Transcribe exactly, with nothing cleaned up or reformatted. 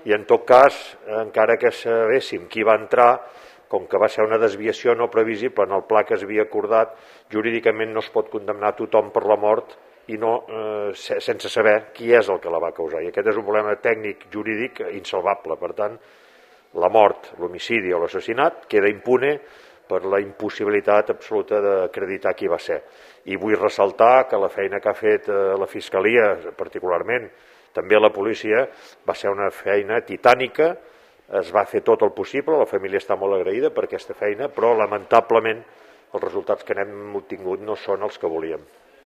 I en tot cas, encara que sabéssim qui va entrar, com que va ser una desviació no previsible en el pla que es havia acordat, jurídicament no es pot condemnar tothom per la mort i no, eh, sense saber qui és el que la va causar. I aquest és un problema tècnic jurídic insalvable. Per tant, la mort, l'homicidi o l'assassinat queda impune per la impossibilitat absoluta d'acreditar qui va ser. I vull ressaltar que la feina que ha fet la Fiscalia, particularment, també la policia, va ser una feina titànica, es va fer tot el possible, la família està molt agraïda per aquesta feina, però lamentablement els resultats que n'hem obtingut no són els que volíem.